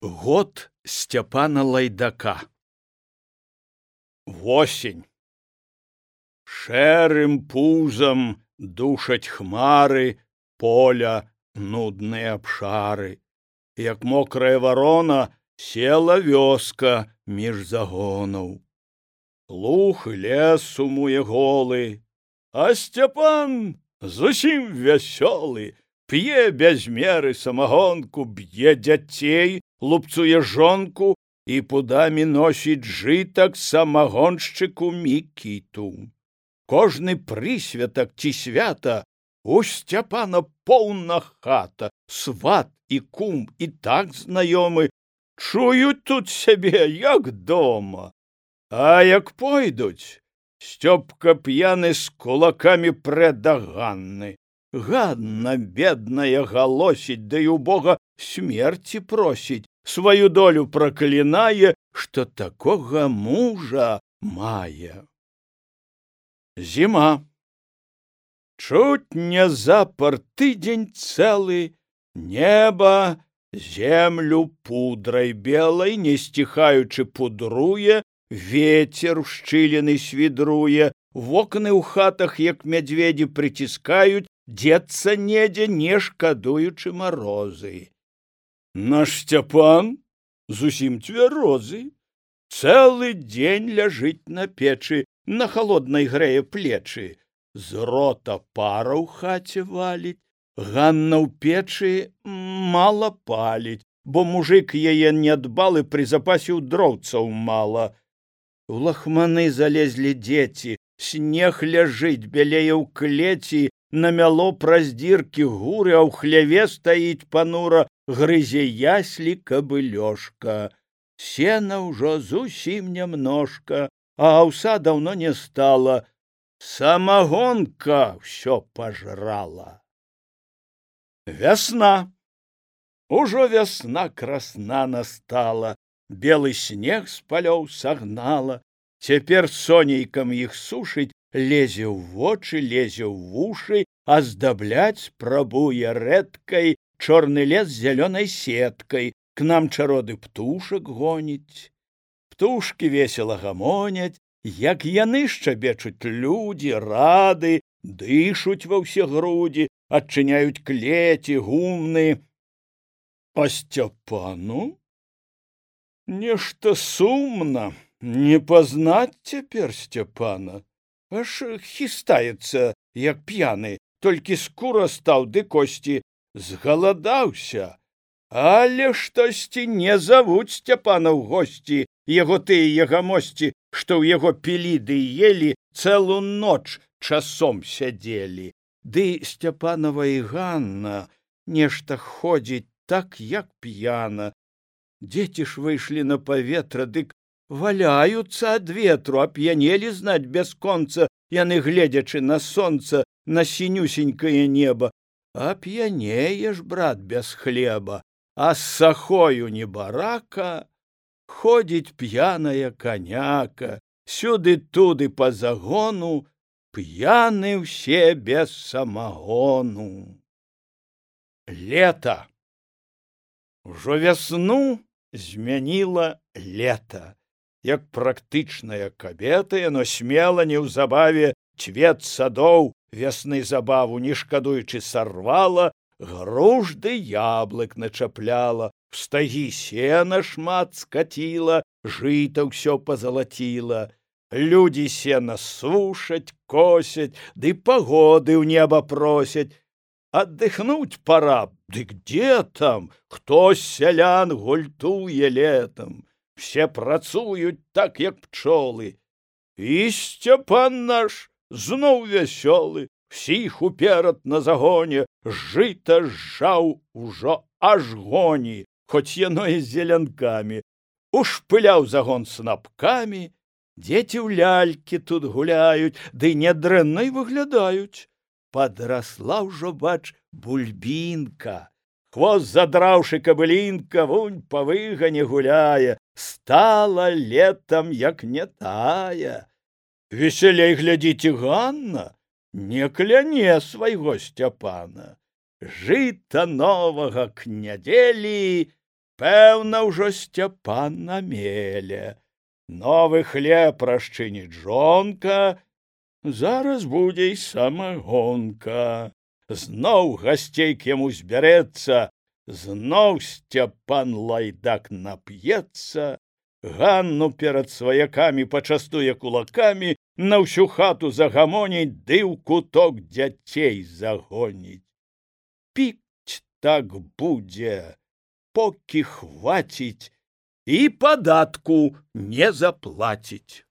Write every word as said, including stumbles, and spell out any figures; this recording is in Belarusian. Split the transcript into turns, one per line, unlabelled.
Год Сцяпана Лайдака. Восень. Шэрым пузам душаць хмары поля нудныя абшары. Як мокрая варона села вёска між загонаў. Луг і лес сумуе голы, а Сцяпан зусім вясёлы, п'е без меры самагонку, б'е дзяцей, лупцуе жонку і пудамі носіць жытак самагоншчыку Мікіту. Кожны прысвятак ці свята у Сцяпана поўна хата, сват і кум і так знаёмы, чуюць тут сябе, як дома. А як пойдуць, Сцёпка п'яны з кулакамі прэ да Ганны. Ганна, бедная, галосіць, да і у Бога смерці просіць, сваю долю праклінае, што такога мужа мае. Зіма. Чуць не запар тыдзень цэлы, неба землю пудрай белай, не сціхаючы пудруе, ветер шчыліны свідруе, вокны ў хатах, як мядзведзі, прыціскаюць, дзецца недзе, не шкадуючы марозы. Наш Сцяпан зусім цвярозы, цэлы дзень ляжыць на печы, на халоднай грэе плечы. З рота пара ў хаце валіць, Ганна ў печы мала паліць, бо мужык яе нядбалы прызапасіў дроўцаў мала. У лахманы залезлі дзеці, снег ляжыць, бялее ў клеці, намяло праз дзіркі гуры, а ў хляве стаіць панура, грызе яслі кабылёшка. Сена ўжо зусім нямножка, а аўса даўно не стала. Самагонка ўсё пажрала. Вясна. Ужо вясна красна настала, белы снег з палёў сагнала. Цяпер сонейкам іх сушыць, лезе ў вочы, лезе ў вушы, аздабляць спрабуе рэдкай, чорны лес зялёнай сеткай, к нам чароды птушак гоніць. Птушкі весела гамоняць, як яны шчабечуць людзі, рады, дышуць ва ўсе грудзі, адчыняюць клеці, гумны. А Сцяпану нешта сумна, не пазнаць цяпер Сцяпана. Аж хістаецца, як п'яны, толькі скура стаў ды косці, згаладаўся. Але штосьці не завуць Сцяпана ў госці, яго тыя ягамосці, што ў яго пілі ды елі, цэлу ноч часом сядзелі. Ды Сцяпанова і Ганна нешта ходзіць так, як п'яна. Дзеці ж выйшлі на паветра, дык валяюцца ад ветру, ап'янелі, знаць, бясконца, яны гледзячы на сонца, на сінюсенькае неба. Ап'янееш, брат, без хлеба, а з сахою небарака ходзіць п'яная каняка, сюды-туды па загону, п'яны ўсе без самагону. Лета. Ужо вясну змяніла лета. Як практычная кабета, яно смела неўзабаве цвет садоў вясны забаву, не шкадуючы сарвала, груш ды яблык начапляла, в стагі сена шмат скаціла, жыта ўсё пазалаціла. Людзі сена сушаць, косяць, ды пагоды ў неба просяць. Аддыхнуць пора, дык дзе там, хто з сялян гультуе летам. Все працуюць так, як пчолы. І Сцяпан наш зноў вясёлы, всіх уперад на загоне, жыта зжаў ужо аж гоні, хоць яно і з зелянкамі. Ушпыляў загон снапкамі, дзеці ў лялькі тут гуляюць, ды нядрэнна і выглядаюць. Падрасла ўжо, бач, бульбінка. Хвост задраўшы кабылінка, вунь па выгане гуляе, стала летам, як не тая. Весялей глядзіце, Ганна не кляне свайго Сцяпана. Жыта новага к нядзелі Пэўна, ўжо Сцяпан на меле. Новы хлеб расчыніць жонка, зараз будзе і самагонка. Зноў гасцей к яму збярэцца, зноў Сцяпан лайдак нап'ецца, Ганну перад сваякамі пачастуе кулакамі, на ўсю хату загамоніць, ды ў куток дзяцей загоніць. Піць так будзе, покі хваціць, і падатку не заплаціць.